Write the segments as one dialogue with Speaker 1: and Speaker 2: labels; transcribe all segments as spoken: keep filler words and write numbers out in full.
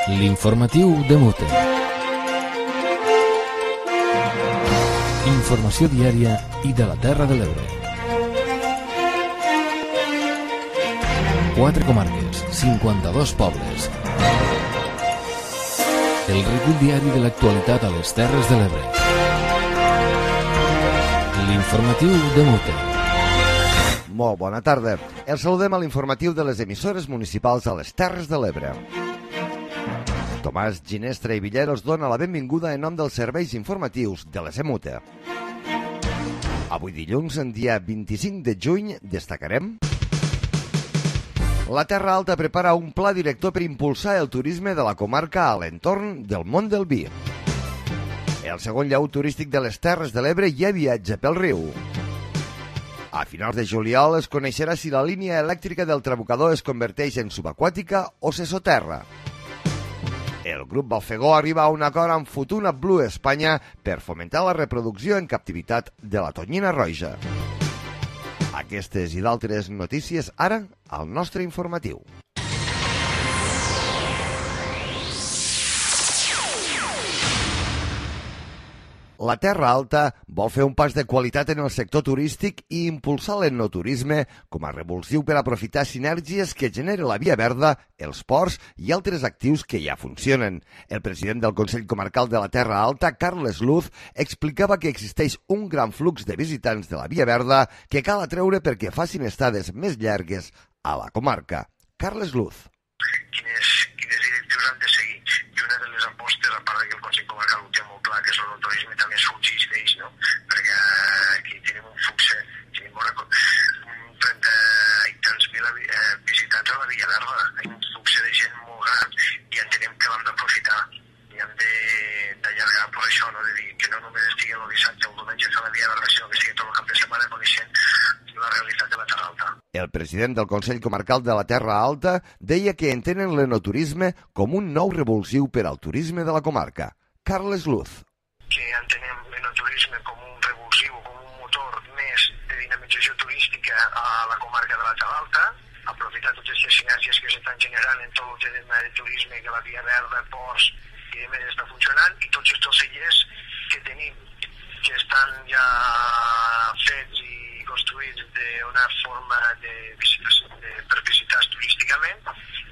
Speaker 1: L'informatiu de Mute. Informació diària i de la Terra de l'Ebre. Quatre comarques, cinquanta-dos pobles. El recull diari de l'actualitat a les Terres de l'Ebre. L'informatiu de Mute.
Speaker 2: Molt bona tarda. Els saludem a l'informatiu de les emissores municipals a les Terres de l'Ebre. Tomàs Ginestra i Villera us dona la benvinguda en nom dels serveis informatius de les EMUTE. Avui dilluns, en dia vint-i-cinc de juny, destacarem: la Terra Alta prepara un pla director per impulsar el turisme de la comarca a l'entorn del món del vi. El segon llaut turístic de les Terres de l'Ebre ja viatja pel riu. A finals de juliol es coneixerà si la línia elèctrica del Trabucador es converteix en subaquàtica o se soterra. El grup Balfegó arriba a un acord amb Futuna Blue Espanya per fomentar la reproducció en captivitat de la tonyina roja. Aquestes i d'altres notícies ara al nostre informatiu. La Terra Alta vol fer un pas de qualitat en el sector turístic i impulsar l'enoturisme com a revulsiu per aprofitar sinergies que genera la Via Verda, els ports i altres actius que ja funcionen. El president del Consell Comarcal de la Terra Alta, Carles Luz, explicava que existeix un gran flux de visitants de la Via Verda que cal atreure perquè facin estades més llargues a la comarca. Carles Luz.
Speaker 3: Quines, quines directius han de seguir? I una de les apostes, a part que el Consell Comarcal ho té molt clar, que és el turisme, també sorgeix d'ells, no? Perquè aquí tenim un flux, tenim trenta i tants mil eh, visitants a la Via Verda, hi ha un flux de gent molt gran i entenem que l'hem d'aprofitar i hem d'allargar per això, no? De dir que no només estigui el dissabte o el diumenge a la Via Verda, sinó que estigui tot el cap de setmana coneixent la realitat de la Terra Alta.
Speaker 2: El president del Consell Comarcal de la Terra Alta deia que entenen l'enoturisme com un nou revulsiu per al turisme de la comarca. Carles Luz.
Speaker 3: Que entenem l'enoturisme com un revulsiu, com un motor més de dinamització turística a la comarca de la Terra Alta, aprofitar totes les sinergies que s'estan generant en tot el tema de turisme, que la Via Verda, ports i demés està funcionant, i tots els cellers que tenim, que estan ja fets i construïts d'una forma de, de, per visitar turísticament,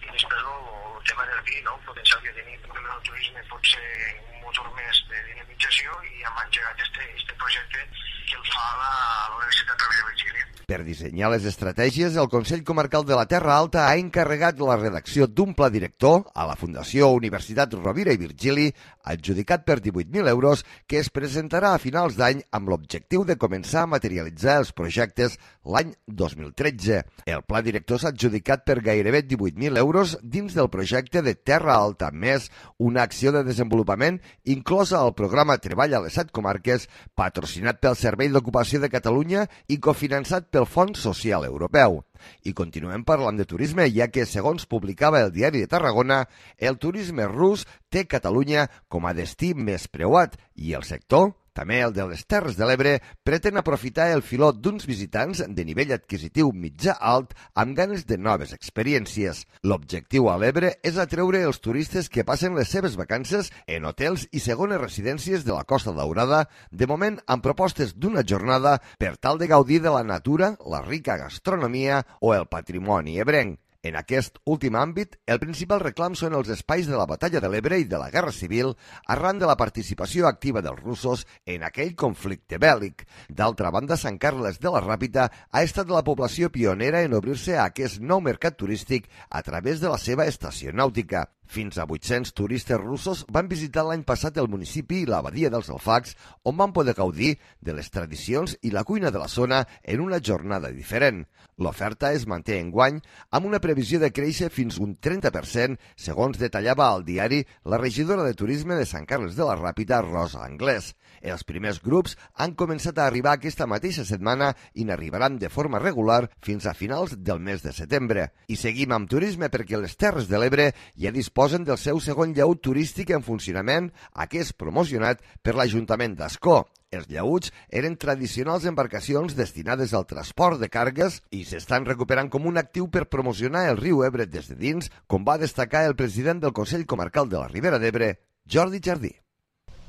Speaker 3: i després el, el tema del vi, no? El potencial que tenim per el turisme pot ser un motor més de dinamització, i hem engegat aquest projecte que el fa la, la Universitat Rovira i Virgili.
Speaker 2: Per dissenyar les estratègies, el Consell Comarcal de la Terra Alta ha encarregat la redacció d'un pla director a la Fundació Universitat Rovira i Virgili, adjudicat per divuit mil euros, que es presentarà a finals d'any amb l'objectiu de començar a materialitzar els projectes l'any dos mil tretze. El pla director s'ha adjudicat per gairebé divuit mil euros dins del projecte de Terra Alta Més, una acció de desenvolupament inclosa al programa Treball a les set comarques, patrocinat pel Servei d'Ocupació de Catalunya i cofinançat pel Fons Social Europeu. I continuem parlant de turisme, ja que, segons publicava el Diari de Tarragona, el turisme rus té Catalunya com a destí més preuat i el sector, també el de les Terres de l'Ebre, pretén aprofitar el filó d'uns visitants de nivell adquisitiu mitjà-alt amb ganes de noves experiències. L'objectiu a l'Ebre és atreure els turistes que passen les seves vacances en hotels i segones residències de la Costa Daurada, de moment amb propostes d'una jornada per tal de gaudir de la natura, la rica gastronomia o el patrimoni ebrenc. En aquest últim àmbit, el principal reclam són els espais de la Batalla de l'Ebre i de la Guerra Civil arran de la participació activa dels russos en aquell conflicte bèl·lic. D'altra banda, Sant Carles de la Ràpita ha estat la població pionera en obrir-se a aquest nou mercat turístic a través de la seva estació nàutica. Fins a vuit-cents turistes russos van visitar l'any passat el municipi i la badia dels Alfacs, on van poder gaudir de les tradicions i la cuina de la zona en una jornada diferent. L'oferta es manté enguany amb una previsió de créixer fins un trenta per cent, segons detallava al diari la regidora de Turisme de Sant Carles de la Ràpita, Rosa Anglès. Els primers grups han començat a arribar aquesta mateixa setmana i n'arribaran de forma regular fins a finals del mes de setembre. I seguim amb turisme perquè les Terres de l'Ebre ja disposen disposen del seu segon llaüt turístic en funcionament, aquest promocionat per l'Ajuntament d'Ascó. Els llaüts eren tradicionals embarcacions destinades al transport de càrregues i s'estan recuperant com un actiu per promocionar el riu Ebre des de dins, com va destacar el president del Consell Comarcal de la Ribera d'Ebre, Jordi Jardí.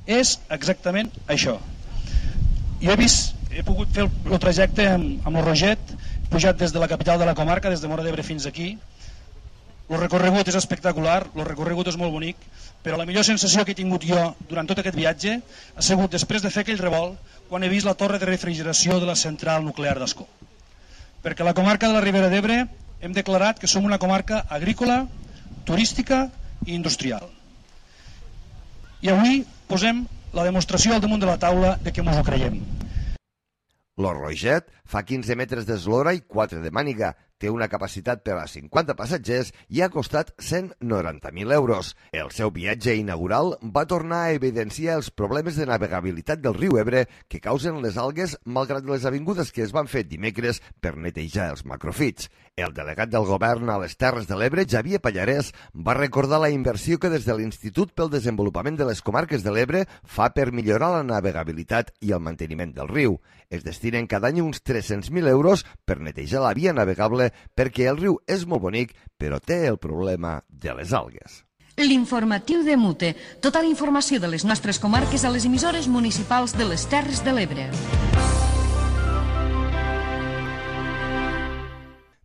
Speaker 4: És exactament això. Jo he vist, he pogut fer el, el trajecte amb, amb el Roget, pujat des de la capital de la comarca, des de Móra d'Ebre fins aquí. El recorregut és espectacular, el recorregut és molt bonic, però la millor sensació que he tingut jo durant tot aquest viatge ha sigut després de fer aquell revolt quan he vist la torre de refrigeració de la central nuclear d'Ascó. Perquè la comarca de la Ribera d'Ebre hem declarat que som una comarca agrícola, turística i industrial. I avui posem la demostració al damunt de la taula de que ens ho creiem.
Speaker 2: Lo Roget fa quinze metres d'eslora i quatre de màniga, té una capacitat per a cinquanta passatgers i ha costat cent noranta mil euros. El seu viatge inaugural va tornar a evidenciar els problemes de navegabilitat del riu Ebre que causen les algues malgrat les avingudes que es van fer dimecres per netejar els macrofits. El delegat del govern a les Terres de l'Ebre, Xavier Pallarès, va recordar la inversió que des de l'Institut pel Desenvolupament de les Comarques de l'Ebre fa per millorar la navegabilitat i el manteniment del riu. Es destinen cada any uns tres-cents mil euros per netejar la via navegable perquè el riu és molt bonic, però té el problema de les algues.
Speaker 5: L'informatiu de Mute. Tota la informació de les nostres comarques a les emissores municipals de les Terres de l'Ebre.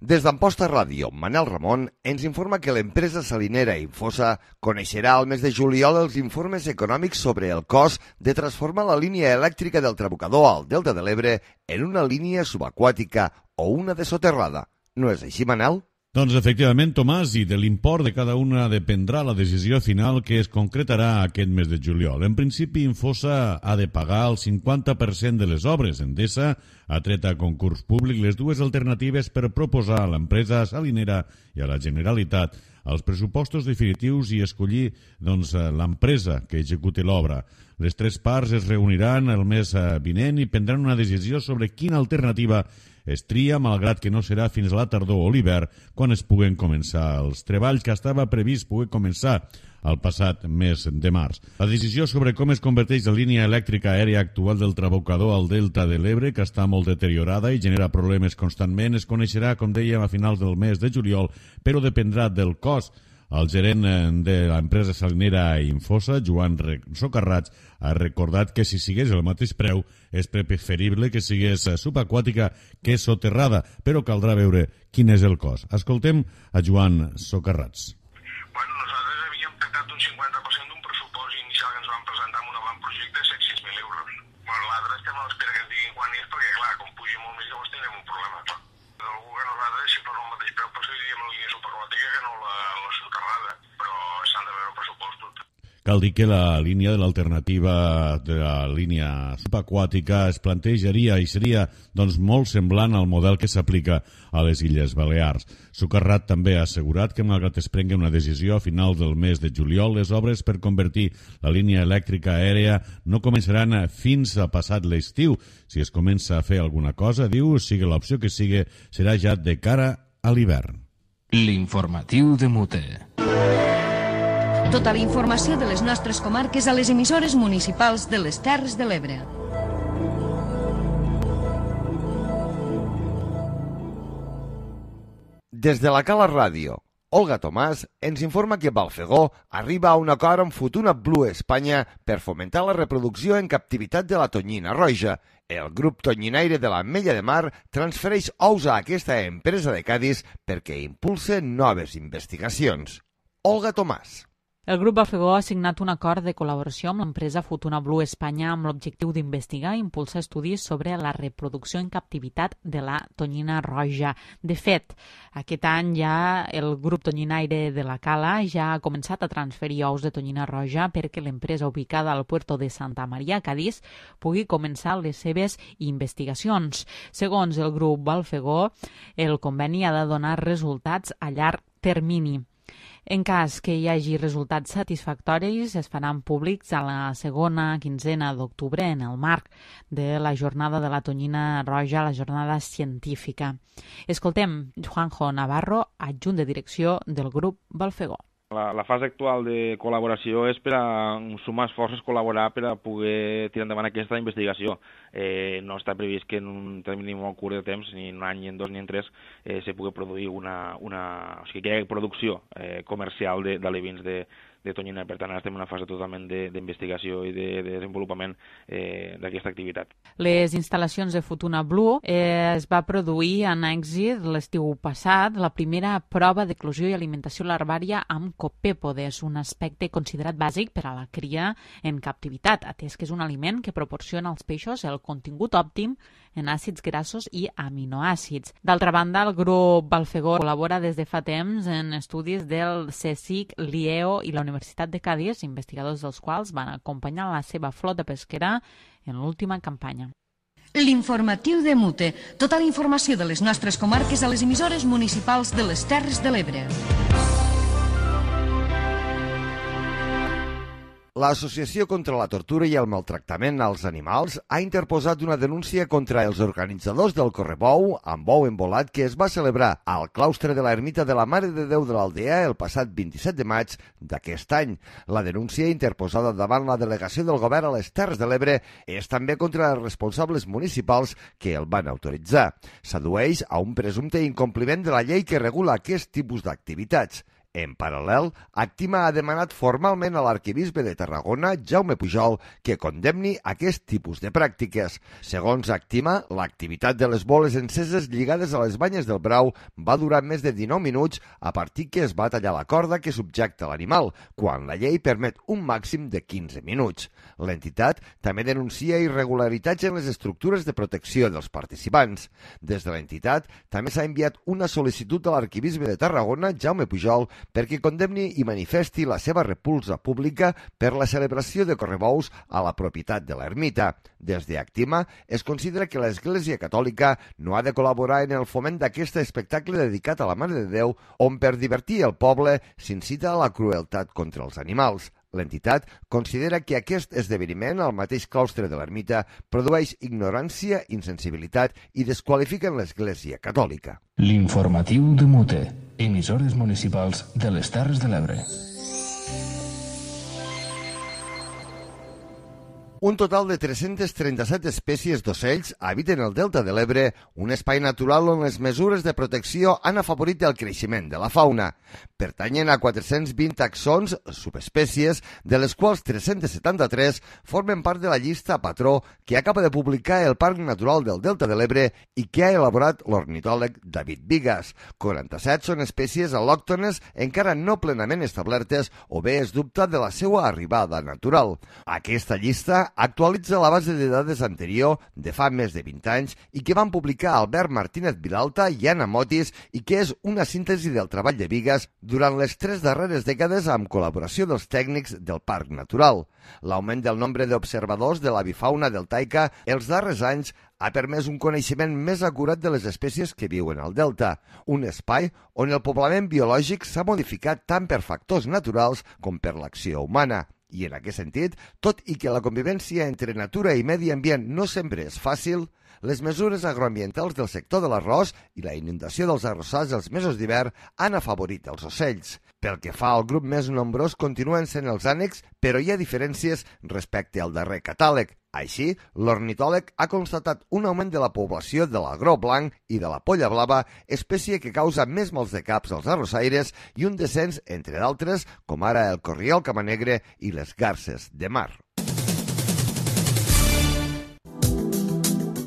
Speaker 2: Des d'Amposta Ràdio, Manel Ramon ens informa que l'empresa salinera Infosa coneixerà al mes de juliol els informes econòmics sobre el cost de transformar la línia elèctrica del Trabucador al Delta de l'Ebre en una línia subaquàtica o una de soterrada. No és així, Manel?
Speaker 6: Doncs efectivament, Tomàs, i de l'import de cada una dependrà la decisió final que es concretarà aquest mes de juliol. En principi, Infosa ha de pagar el cinquanta per cent de les obres. Endesa ha tret a concurs públic les dues alternatives per proposar a l'empresa salinera i a la Generalitat els pressupostos definitius i escollir doncs, l'empresa que executi l'obra. Les tres parts es reuniran el mes vinent i prendran una decisió sobre quina alternativa es tria, malgrat que no serà fins a la tardor o l'hivern quan es puguen començar els treballs que estava previst poder començar el passat mes de març. La decisió sobre com es converteix la línia elèctrica aèria actual del Trabucador al Delta de l'Ebre, que està molt deteriorada i genera problemes constantment, es coneixerà, com dèiem, a finals del mes de juliol, però dependrà del cost. El gerent de l'empresa salinera Infosa, Joan Socarrats, ha recordat que si sigués el mateix preu és preferible que sigués subaquàtica que soterrada, però caldrà veure quin és el cost. Escoltem a Joan Socarrats.
Speaker 3: Bueno, nosaltres havíem pactat un cinquanta per cent d'un pressupost inicial que ens van presentar amb un avantprojecte de set cents mil euros. Bueno, l'altre estem a l'espera que ens diguin quan és, perquè clar, com pugi molt més llavors tindrem un problema. Clar. Algú que nosaltres, si fos el mateix preu, preferiríem la línia subaquàtica que no la, la soterrada, però s'han de veure pressupostos.
Speaker 6: Cal dir que la línia de l'alternativa de la línia subaquàtica es plantejaria i seria doncs, molt semblant al model que s'aplica a les Illes Balears. Socarrat també ha assegurat que malgrat es prengui una decisió a finals del mes de juliol, les obres per convertir la línia elèctrica aèria no començaran fins a passat l'estiu. Si es comença a fer alguna cosa, diu, sigui l'opció que sigui, serà ja de cara a l'hivern.
Speaker 1: L'informatiu de Mute.
Speaker 5: Tota la informació de les nostres comarques a les emissores municipals de les Terres de l'Ebre.
Speaker 2: Des de la Cala Ràdio, Olga Tomàs ens informa que Balfegó arriba a un acord amb Futuna Blue Espanya per fomentar la reproducció en captivitat de la tonyina roja. El grup tonyinaire de l'Ametlla de Mar transfereix ous a aquesta empresa de Cadis perquè impulse noves investigacions. Olga Tomàs.
Speaker 7: El grup Balfegó ha signat un acord de col·laboració amb l'empresa Futuna Blue Espanya amb l'objectiu d'investigar i impulsar estudis sobre la reproducció en captivitat de la tonyina roja. De fet, aquest any ja el grup tonyinaire de la Cala ja ha començat a transferir ous de tonyina roja perquè l'empresa ubicada al puerto de Santa Maria, Cadis, pugui començar les seves investigacions. Segons el grup Balfegó, el conveni ha de donar resultats a llarg termini. En cas que hi hagi resultats satisfactoris, es faran públics a la segona quinzena d'octubre en el marc de la jornada de la tonyina roja, la jornada científica. Escoltem Juanjo Navarro, adjunt de direcció del grup Balfegó.
Speaker 8: La, la fase actual de col·laboració és per a sumar esforços, col·laborar per a poder tirar endavant aquesta investigació. Eh, no està previst que en un termini molt curt de temps, ni en un any, ni en dos, ni en tres, eh, se pugui produir una, una... O sigui, que hi hagi producció eh, comercial d'alevins de, de tonyina. Per tant, ara estem en una fase totalment d'investigació i de, de desenvolupament eh, d'aquesta activitat.
Speaker 7: Les instal·lacions de Futuna Blue eh, es va produir en èxit l'estiu passat la primera prova d'eclosió i alimentació larvària amb copèpodes, un aspecte considerat bàsic per a la cria en captivitat, atès que és un aliment que proporciona als peixos el contingut òptim en àcids grassos i aminoàcids. D'altra banda, el grup Balfegó col·labora des de fa temps en estudis del CSIC, l'I E O i la Universitat de Cadis, investigadors dels quals van acompanyar la seva flota pesquera en l'última campanya.
Speaker 5: L'informatiu de Mute. Tota la informació de les nostres comarques a les emissores municipals de les Terres de l'Ebre.
Speaker 2: L'Associació contra la Tortura i el Maltractament als Animals ha interposat una denúncia contra els organitzadors del Correbou amb bou embolat que es va celebrar al claustre de l'Ermita de la Mare de Déu de l'Aldea el passat vint-i-set de maig d'aquest any. La denúncia interposada davant la delegació del govern a les Terres de l'Ebre és també contra els responsables municipals que el van autoritzar. S'addueix a un presumpte incompliment de la llei que regula aquest tipus d'activitats. En paral·lel, Actima ha demanat formalment a l'arquebisbe de Tarragona, Jaume Pujol, que condemni aquest tipus de pràctiques. Segons Actima, l'activitat de les boles enceses lligades a les banyes del brau va durar més de dinou minuts a partir que es va tallar la corda que subjecta l'animal, quan la llei permet un màxim de quinze minuts. L'entitat també denuncia irregularitats en les estructures de protecció dels participants. Des de l'entitat també s'ha enviat una sol·licitud a l'arquebisbe de Tarragona, Jaume Pujol, perquè condemni i manifesti la seva repulsa pública per la celebració de correbous a la propietat de l'ermita. Des de Actima es considera que l'Església Catòlica no ha de col·laborar en el foment d'aquest espectacle dedicat a la Mare de Déu, on per divertir el poble s'incita a la crueltat contra els animals. L'entitat considera que aquest esdeveniment al mateix claustre de l'ermita produeix ignorància, insensibilitat i desqualifiquen l'Església Catòlica.
Speaker 1: L'informatiu de Mute, emissores municipals de les Terres de l'Ebre.
Speaker 2: Un total de tres-centes trenta-set espècies d'ocells habiten el Delta de l'Ebre, un espai natural on les mesures de protecció han afavorit el creixement de la fauna. Pertanyen a quatre-cents vint taxons, subespècies, de les quals tres-cents setanta-tres formen part de la llista patró que acaba de publicar el Parc Natural del Delta de l'Ebre i que ha elaborat l'ornitòleg David Bigas. quaranta-set són espècies al·lòctones encara no plenament establertes o bé es dubta de la seva arribada natural. Aquesta llista actualitza la base de dades anterior de fa més de vint anys i que van publicar Albert Martínez Vilalta i Anna Motis i que és una síntesi del treball de Bigas durant les tres darreres dècades amb col·laboració dels tècnics del Parc Natural. L'augment del nombre d'observadors de l'avifauna deltaica els darrers anys ha permès un coneixement més acurat de les espècies que viuen al delta, un espai on el poblament biològic s'ha modificat tant per factors naturals com per l'acció humana. I en aquest sentit, tot i que la convivència entre natura i medi ambient no sempre és fàcil, les mesures agroambientals del sector de l'arròs i la inundació dels arrossars els mesos d'hivern han afavorit els ocells. Pel que fa al grup més nombrós, continuen sent els ànecs, però hi ha diferències respecte al darrer catàleg. Així, l'ornitòleg ha constatat un augment de la població de l'agró blanc i de la polla blava, espècie que causa més mals de caps als arrossaires, i un descens, entre d'altres, com ara el corriol camanegre i les garces de mar.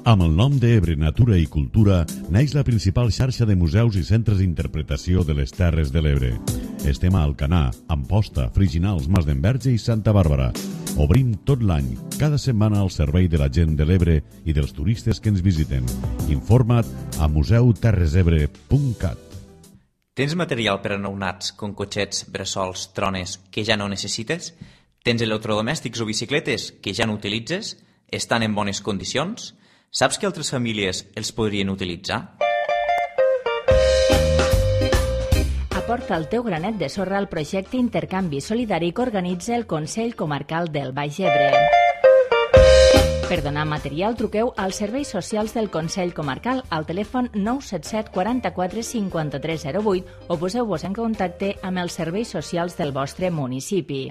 Speaker 6: Amb el nom d'Ebre Natura i Cultura naix la principal xarxa de museus i centres d'interpretació de les Terres de l'Ebre. Estem a Alcanar, Amposta, Friginals, Mas d'Enverge i Santa Bàrbara. Obrim tot l'any, cada setmana al servei de la gent de l'Ebre i dels turistes que ens visiten. Informa't a museu terres ebre punt cat.
Speaker 9: Tens material per a nounats, com cotxets, bressols, trones, que ja no necessites? Tens electrodomèstics o bicicletes que ja no utilitzes? Estan en bones condicions? Saps que altres famílies els podrien utilitzar?
Speaker 10: Aporta el teu granet de sorra al projecte Intercanvi Solidari que organitza el Consell Comarcal del Baix Ebre. Per donar material, truqueu als serveis socials del Consell Comarcal al telèfon nou set set quaranta-quatre cinquanta-tres zero vuit o poseu-vos en contacte amb els serveis socials del vostre municipi.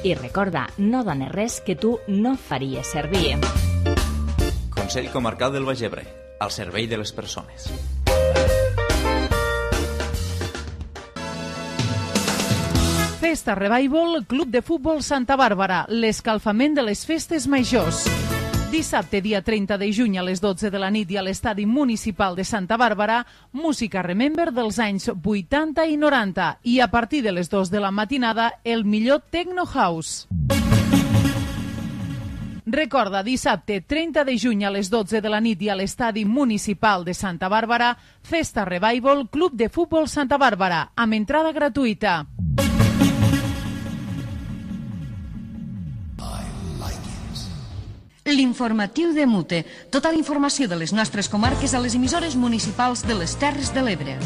Speaker 10: I recorda, no dones res que tu no faries servir.
Speaker 9: Consell Comarcal del Baix Ebre, al servei de les persones.
Speaker 11: Festa Revival, Club de Futbol Santa Bàrbara, l'escalfament de les festes majors. Dissabte, dia trenta de juny a les dotze de la nit i a l'estadi municipal de Santa Bàrbara, música Remember dels anys vuitanta i noranta i a partir de les dues de la matinada el millor Techno House. Recorda, dissabte trenta de juny a les dotze de la nit i a l'estadi municipal de Santa Bàrbara, Festa Revival, Club de Futbol Santa Bàrbara, amb entrada gratuïta.
Speaker 5: L'informatiu de Mute. Tota la informació de les nostres comarques a les emissores municipals de les Terres de l'Ebre.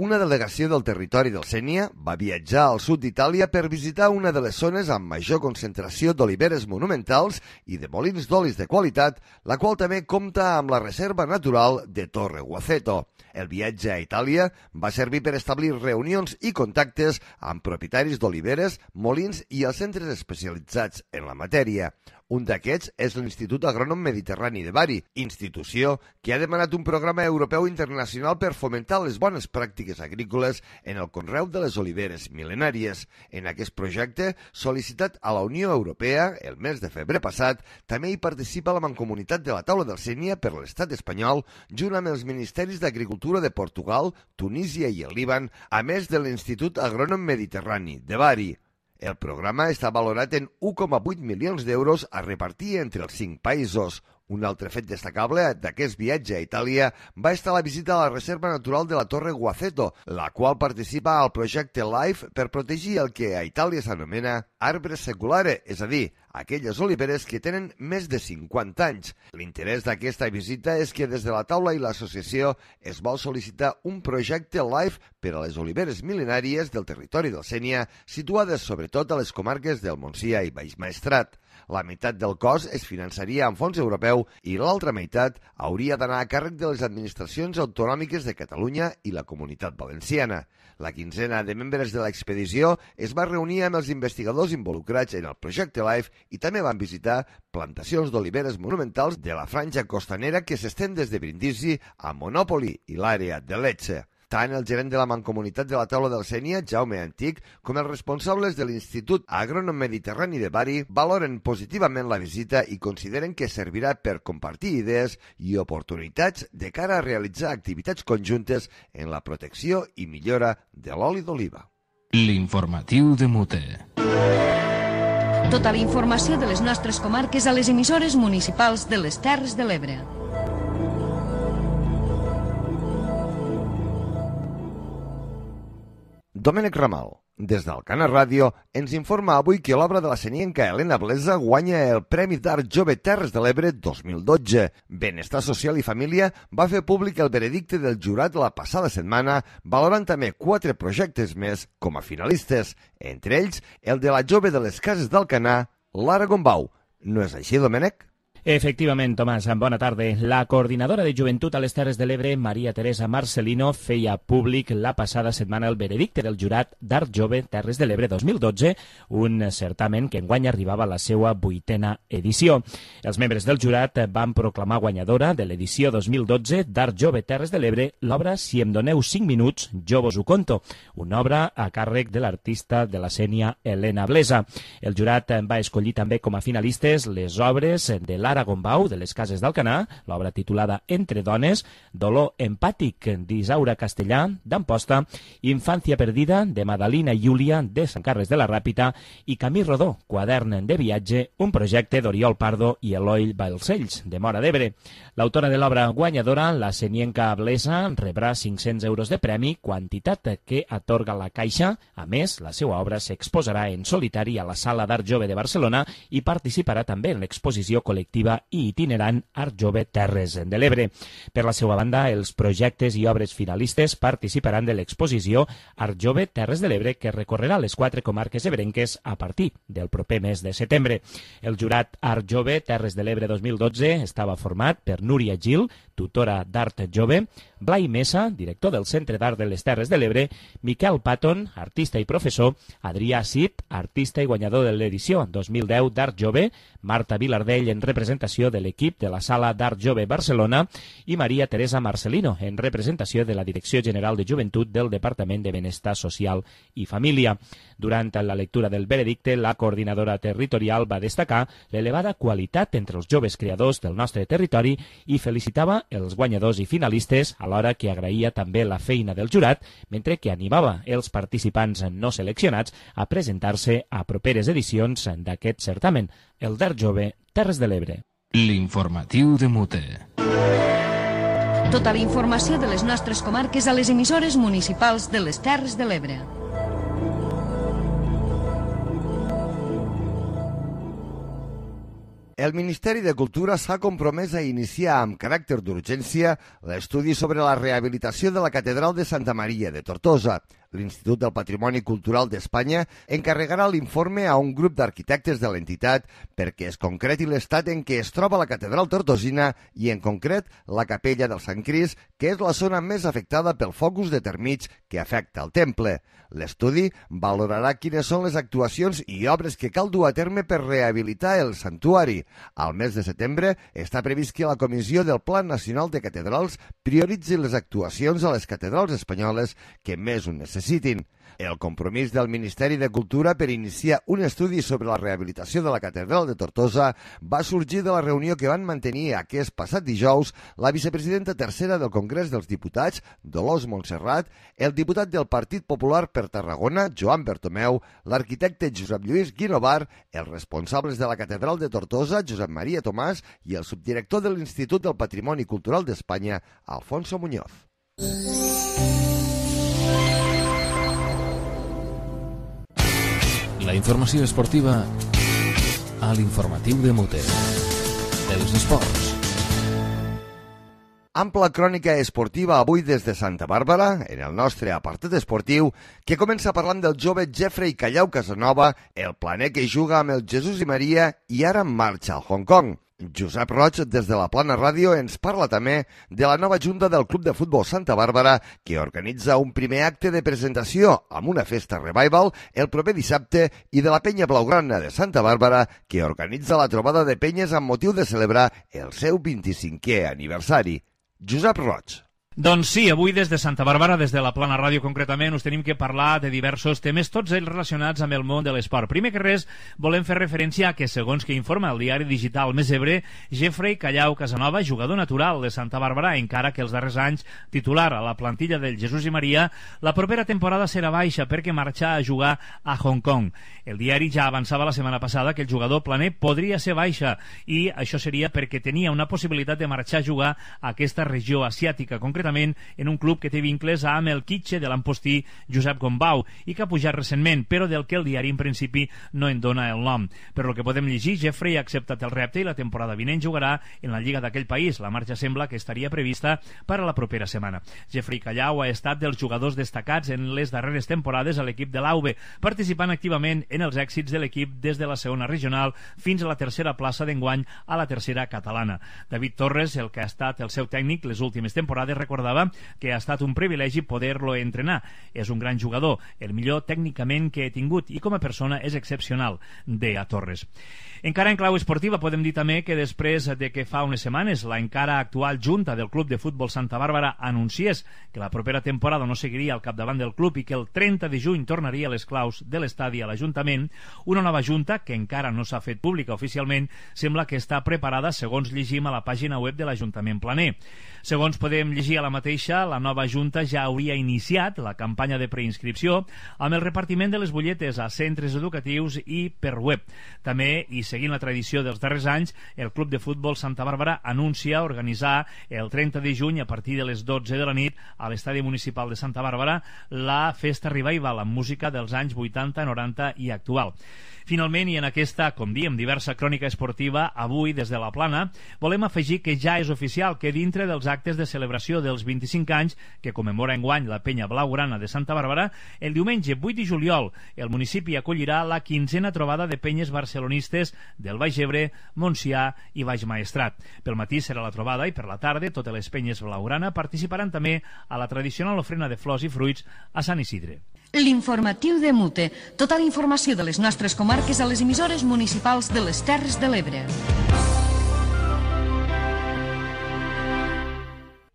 Speaker 2: Una delegació del territori del Sénia va viatjar al sud d'Itàlia per visitar una de les zones amb major concentració d'oliveres monumentals i de molins d'olis de qualitat, la qual també compta amb la reserva natural de Torre Guaceto. El viatge a Itàlia va servir per establir reunions i contactes amb propietaris d'oliveres, molins i els centres especialitzats en la matèria. Un d'aquests és l'Institut Agrònom Mediterrani de Bari, institució que ha demanat un programa europeu internacional per fomentar les bones pràctiques agrícoles en el conreu de les oliveres mil·lenàries. En aquest projecte, sol·licitat a la Unió Europea el mes de febrer passat, també hi participa la Mancomunitat de la Taula del Sénia per l'estat espanyol, junt amb els Ministeris d'Agricultura de Portugal, Tunísia i el Líban, a més de l'Institut Agrònom Mediterrani de Bari. El programa està valorat en u coma vuit milions d'euros a repartir entre els cinc països. Un altre fet destacable d'aquest viatge a Itàlia va estar la visita a la Reserva Natural de la Torre Guaceto, la qual participa al projecte LIFE per protegir el que a Itàlia s'anomena arbre seculare, és a dir, aquelles oliveres que tenen més de cinquanta anys. L'interès d'aquesta visita és que des de la taula i l'associació es vol sol·licitar un projecte LIFE per a les oliveres mil·lenàries del territori del Sénia, situades sobretot a les comarques del Montsià i Baix Maestrat. La meitat del cost es finançaria amb fons europeu i l'altra meitat hauria d'anar a càrrec de les administracions autonòmiques de Catalunya i la Comunitat Valenciana. La quinzena de membres de l'expedició es va reunir amb els investigadors involucrats en el projecte LIFE i també van visitar plantacions d'oliveres monumentals de la franja costanera que s'estén des de Brindisi a Monòpoli i l'àrea de Lecce. Tant el gerent de la Mancomunitat de la Taula del Sénia, Jaume Antic, com els responsables de l'Institut Agrònom Mediterrani de Bari valoren positivament la visita i consideren que servirà per compartir idees i oportunitats de cara a realitzar activitats conjuntes en la protecció i millora de l'oli d'oliva.
Speaker 1: L'informatiu de Mute.
Speaker 5: Tota la informació de les nostres comarques a les emissores municipals de les Terres de l'Ebre.
Speaker 2: Domènec Ramal, des d'Alcana Ràdio, ens informa avui que l'obra de la senienca Helena Blesa guanya el Premi d'Art Jove Terres de l'Ebre dos mil dotze. Benestar Social i Família va fer públic el veredicte del jurat la passada setmana, valorant també quatre projectes més com a finalistes, entre ells el de la jove de les Cases d'Alcanar, Lara Gombau. No és així, Domènec?
Speaker 12: Efectivament, Tomàs, bona tarda. La coordinadora de Joventut a les Terres de l'Ebre, Maria Teresa Marcelino, feia públic la passada setmana el veredicte del jurat d'Art Jove Terres de l'Ebre dos mil dotze, un certamen que enguany arribava a la seva vuitena edició. Els membres del jurat van proclamar guanyadora de l'edició dos mil dotze d'Art Jove Terres de l'Ebre l'obra Si em doneu cinc minuts, jo vos ho conto, una obra a càrrec de l'artista de la Sénia Helena Blesa. El jurat va escollir també com a finalistes les obres de la Lara Gombau, de les Cases d'Alcanar, l'obra titulada Entre dones, Dolor empàtic, d'Isaura Castellà, d'Amposta, Infància perdida, de Madalina i Júlia, de Sant Carles de la Ràpita, i Camí Rodó, quadern de viatge, un projecte d'Oriol Pardo i Eloi Balcells, de Móra d'Ebre. L'autora de l'obra guanyadora, la senienca Blesa, rebrà cinc-cents euros de premi, quantitat que atorga la Caixa. A més, la seva obra s'exposarà en solitari a la Sala d'Art Jove de Barcelona i participarà també en l'exposició col·lectiva esportiva i itinerant Art Jove Terres de l'Ebre. Per la seva banda, els projectes i obres finalistes participaran de l'exposició Art Jove Terres de l'Ebre, que recorrerà les quatre comarques ebrenques a partir del proper mes de setembre. El jurat Art Jove Terres de l'Ebre dos mil dotze estava format per Núria Gil, tutora d'Art Jove, Blai Mesa, director del Centre d'Art de les Terres de l'Ebre, Miquel Patton, artista i professor, Adrià Cid, artista i guanyador de l'edició dos mil deu d'Art Jove, Marta Vilardell en representació de l'equip de la Sala d'Art Jove Barcelona i Maria Teresa Marcelino en representació de la Direcció General de Joventut del Departament de Benestar Social i Família. Durant la lectura del veredicte, la coordinadora territorial va destacar l'elevada qualitat entre els joves creadors del nostre territori i felicitava els guanyadors i finalistes, alhora que agraïa també la feina del jurat, mentre que animava els participants no seleccionats a presentar-se a properes edicions d'aquest certamen, el d'Art Jove Terres de l'Ebre.
Speaker 1: L'informatiu de Mute.
Speaker 5: Tota la informació de les nostres comarques a les emissores municipals de les Terres de l'Ebre.
Speaker 2: El Ministeri de Cultura s'ha compromès a iniciar amb caràcter d'urgència l'estudi sobre la rehabilitació de la Catedral de Santa Maria de Tortosa. L'Institut del Patrimoni Cultural d'Espanya encarregarà l'informe a un grup d'arquitectes de l'entitat perquè es concreti l'estat en què es troba la catedral tortosina i, en concret, la capella del Sant Crist, que és la zona més afectada pel focus de termig que afecta el temple. L'estudi valorarà quines són les actuacions i obres que cal dur a terme per rehabilitar el santuari. Al mes de setembre està previst que la Comissió del Pla Nacional de Catedrals prioritzi les actuacions a les catedrals espanyoles que més ho necessitin. El compromís del Ministeri de Cultura per iniciar un estudi sobre la rehabilitació de la Catedral de Tortosa va sorgir de la reunió que van mantenir aquest passat dijous la vicepresidenta tercera del Congrés dels Diputats, Dolors Montserrat, el diputat del Partit Popular per Tarragona, Joan Bertomeu, l'arquitecte Josep Lluís Guinovar, els responsables de la Catedral de Tortosa, Josep Maria Tomàs, i el subdirector de l'Institut del Patrimoni Cultural d'Espanya, Alfonso Muñoz.
Speaker 1: La informació esportiva a l'informatiu de Mute. Els esports.
Speaker 2: Ampla crònica esportiva avui des de Santa Bàrbara, en el nostre apartat esportiu, que comença parlant del jove Jeffrey Callau Casanova, el planer que juga amb el Jesús i Maria i ara en marxa al Hong Kong. Josep Roig, des de la Plana Ràdio, ens parla també de la nova junta del Club de Futbol Santa Bàrbara, que organitza un primer acte de presentació amb una festa revival el proper dissabte, i de la Penya Blaugrana de Santa Bàrbara, que organitza la trobada de penyes amb motiu de celebrar el seu vint-i-cinquè aniversari. Josep Roig.
Speaker 13: Doncs sí, avui des de Santa Bàrbara, des de la Plana Ràdio concretament, us tenim que parlar de diversos temes, tots ells relacionats amb el món de l'esport. Primer que res, volem fer referència a que, segons que informa el diari digital Més Ebre, Jeffrey Callau Casanova, jugador natural de Santa Bàrbara, encara que els darrers anys titular a la plantilla del Jesús i Maria, la propera temporada serà baixa perquè marxa a jugar a Hong Kong. El diari ja avançava la setmana passada que el jugador planer podria ser baixa, i això seria perquè tenia una possibilitat de marxar a jugar a aquesta regió asiàtica, concretament en un club que té vincles amb el Kitxe de l'empostí Josep Gombau i que ha pujat recentment, però del que el diari en principi no en dona el nom. Per lo que podem llegir, Jeffrey ha acceptat el repte i la temporada vinent jugarà en la lliga d'aquell país. La marxa sembla que estaria prevista per a la propera setmana. Jeffrey Callau ha estat dels jugadors destacats en les darreres temporades a l'equip de l'A U B, participant activament en els èxits de l'equip des de la segona regional fins a la tercera plaça d'enguany a la tercera catalana. David Torres, el que ha estat el seu tècnic les últimes temporades, recordava que ha estat un privilegi poder-lo entrenar. És un gran jugador, el millor tècnicament que he tingut, i com a persona és excepcional, deia Torres. Encara en clau esportiva podem dir també que després de que fa unes setmanes la encara actual junta del Club de Futbol Santa Bàrbara anunciés que la propera temporada no seguiria al capdavant del club i que el trenta de juny tornaria les claus de l'estadi a l'Ajuntament, una nova junta, que encara no s'ha fet pública oficialment, sembla que està preparada segons llegim a la pàgina web de l'Ajuntament Planer. Segons podem llegir dia la mateixa, la nova Junta ja hauria iniciat la campanya de preinscripció amb el repartiment de les butlletes a centres educatius i per web. També, i seguint la tradició dels darrers anys, el Club de Futbol Santa Bàrbara anuncia organitzar el trenta de juny a partir de les dotze de la nit a l'Estadi Municipal de Santa Bàrbara la Festa Revival amb música dels anys vuitanta, noranta i actual. Finalment, i en aquesta, com diem, diversa crònica esportiva, avui, des de la Plana, volem afegir que ja és oficial que dintre dels actes de celebració dels vint-i-cinc anys que commemora enguany la Penya Blaugrana de Santa Bàrbara, el diumenge vuit de juliol el municipi acollirà la quinzena trobada de penyes barcelonistes del Baix Ebre, Montsià i Baix Maestrat. Pel matí serà la trobada i per la tarda totes les penyes Blaugrana participaran també a la tradicional ofrena de flors i fruits a Sant Isidre.
Speaker 5: L'informatiu de Mute. Tota la informació de les nostres comarques a les emissores municipals de les Terres de l'Ebre.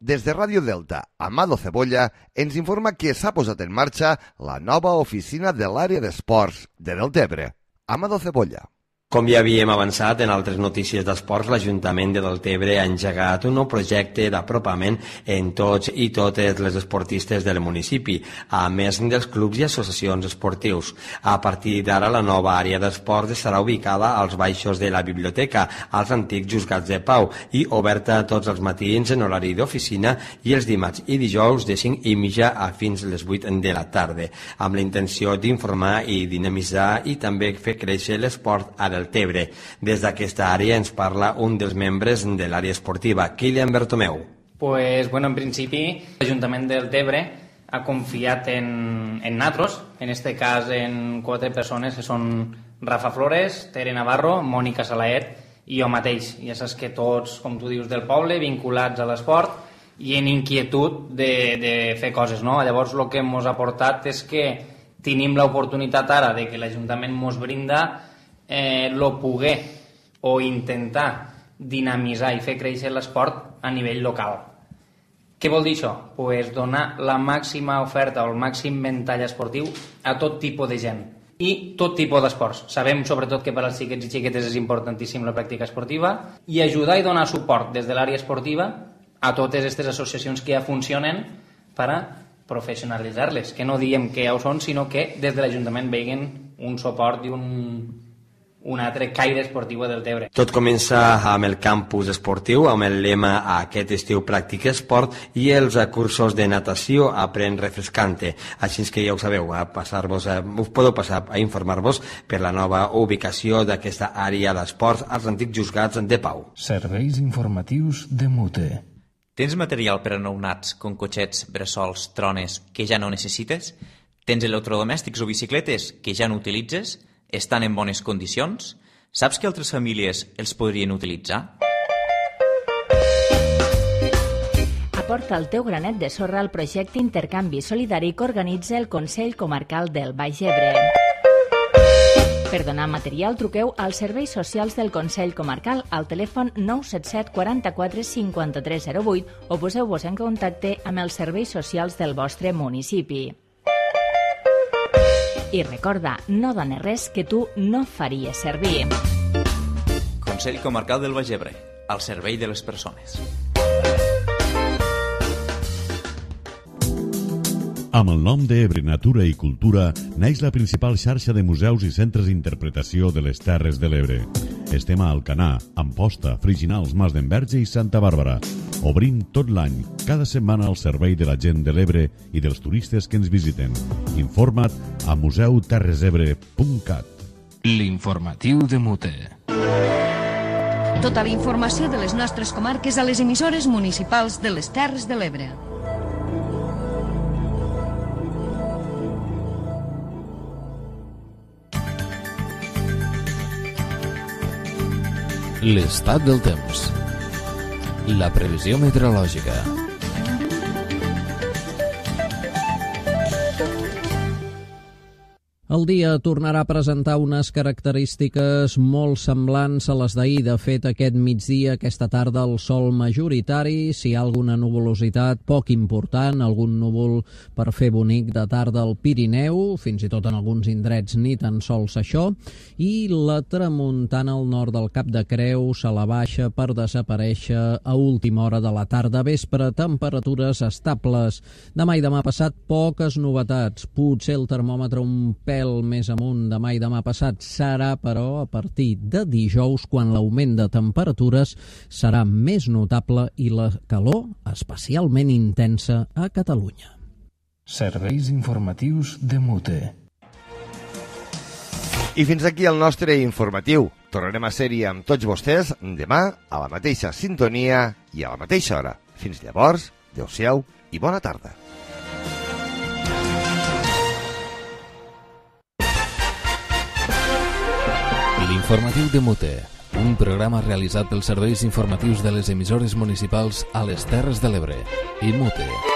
Speaker 2: Des de Ràdio Delta, Amado Cebolla ens informa que s'ha posat en marxa la nova oficina de l'àrea d'esports de Deltebre. Amado Cebolla.
Speaker 14: Com ja havíem avançat en altres notícies d'esports, l'Ajuntament de Deltebre ha engegat un nou projecte d'apropament en tots i totes les esportistes del municipi, a més dels clubs i associacions esportius. A partir d'ara, la nova àrea d'esports estarà ubicada als baixos de la biblioteca, als antics juzgats de pau, i oberta tots els matins en horari d'oficina i els dimarts i dijous de cinc i mitja a fins les vuit de la tarda, amb la intenció d'informar i dinamitzar i també fer créixer l'esport a Deltebre. Des d'aquesta àrea ens parla un dels membres de l'àrea esportiva, Kilian Bertomeu.
Speaker 15: Pues, bueno, en principi, l'Ajuntament de Deltebre ha confiat en, en nosaltres, en este cas en quatre persones que són Rafa Flores, Tere Navarro, Mònica Salaet i jo mateix. Ja saps que tots, com tu dius, del poble, vinculats a l'esport i en inquietud de, de fer coses, no? Llavors, el que ens ha portat és que tenim l'oportunitat ara de que l'Ajuntament ens brinda eh, lo poder o intentar dinamitzar i fer créixer l'esport a nivell local. Què vol dir això? Pues donar la màxima oferta o el màxim ventall esportiu a tot tipus de gent i tot tipus d'esports. Sabem sobretot que per als xiquets i xiquetes és importantíssim la pràctica esportiva i ajudar i donar suport des de l'àrea esportiva a totes aquestes associacions que ja funcionen per a professionalitzar-les, que no diem que ja ho són, sinó que des de l'Ajuntament vegin un suport i un, un altre caire esportiu a Deltebre.
Speaker 14: Tot comença amb el campus esportiu, amb el lema aquest estiu pràctica esport i els cursos de natació Aprèn refrescante. Així que ja ho sabeu, a passar-vos, a, us podeu passar a informar-vos per la nova ubicació d'aquesta àrea d'esports als antics juzgats de pau.
Speaker 16: Serveis informatius de Mute.
Speaker 9: Tens material per a nounats, com cotxets, bressols, trones, que ja no necessites? Tens electrodomèstics o bicicletes que ja no utilitzes? Estan en bones condicions? Saps que altres famílies els podrien utilitzar?
Speaker 10: Aporta el teu granet de sorra al projecte Intercanvi Solidari que organitza el Consell Comarcal del Baix Ebre. Per donar material, truqueu als serveis socials del Consell Comarcal al telèfon nou set set quaranta-quatre cinquanta-tres zero vuit o poseu-vos en contacte amb els serveis socials del vostre municipi. I recorda, no dones res que tu no faries servir.
Speaker 9: Consell Comarcal del Baix Ebre, al servei de les persones.
Speaker 6: Amb el nom d'Ebre Natura i Cultura naix la principal xarxa de museus i centres d'interpretació de les Terres de l'Ebre. Estem a Alcanar, Amposta, Friginals, Mas d'Enverge i Santa Bàrbara. Obrim tot l'any, cada setmana al servei de la gent de l'Ebre i dels turistes que ens visiten. Informa't a museu terres ebre punt cat.
Speaker 16: L'informatiu de Mute.
Speaker 5: Tota la informació de les nostres comarques a les emissores municipals de les Terres de l'Ebre.
Speaker 1: L'estat del temps. La previsió meteorològica.
Speaker 17: El dia tornarà a presentar unes característiques molt semblants a les d'ahir. De fet, aquest migdia, aquesta tarda, el sol majoritari, si hi ha alguna nuvolositat poc important, algun núvol per fer bonic de tarda al Pirineu, fins i tot en alguns indrets ni tan sols això, i la tramuntana al nord del Cap de Creus a la baixa per desaparèixer a última hora de la tarda. Vespre, temperatures estables. Demà i demà passat, poques novetats. Potser el termòmetre un pèl més amunt demà i demà passat serà, però, a partir de dijous, quan l'augment de temperatures serà més notable i la calor especialment intensa a Catalunya.
Speaker 16: Serveis informatius de Mute.
Speaker 2: I fins aquí el nostre informatiu. Tornarem a ser-hi amb tots vostès demà a la mateixa sintonia i a la mateixa hora. Fins llavors, adeu-siau i bona tarda.
Speaker 1: L'informatiu de Mute, un programa realitzat pels serveis informatius de les emissores municipals a les Terres de l'Ebre i Mute.